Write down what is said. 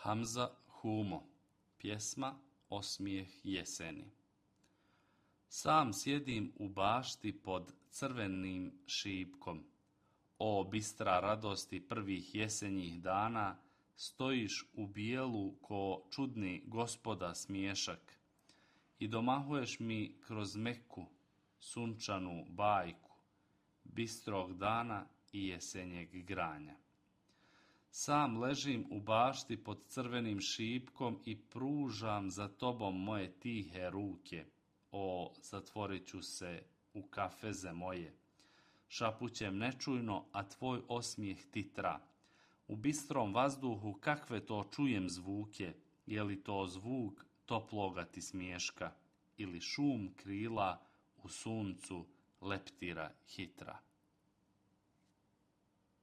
Hamza Humo, pjesma Osmijeh jeseni. Sam sjedim u bašti pod crvenim šipkom. O bistra radosti prvih jesenjih dana, stojiš u bijelu ko čudni gospoda smiješak i domahuješ mi kroz meku, sunčanu bajku, bistrog dana i jesenjeg granja. Sam ležim u bašti pod crvenim šipkom i pružam za tobom moje tihe ruke. O, zatvorit ću se u kafeze moje. Šapućem nečujno, a tvoj osmijeh titra. U bistrom vazduhu kakve to čujem zvuke, je li to zvuk toploga ti smiješka ili šum krila u suncu leptira hitra.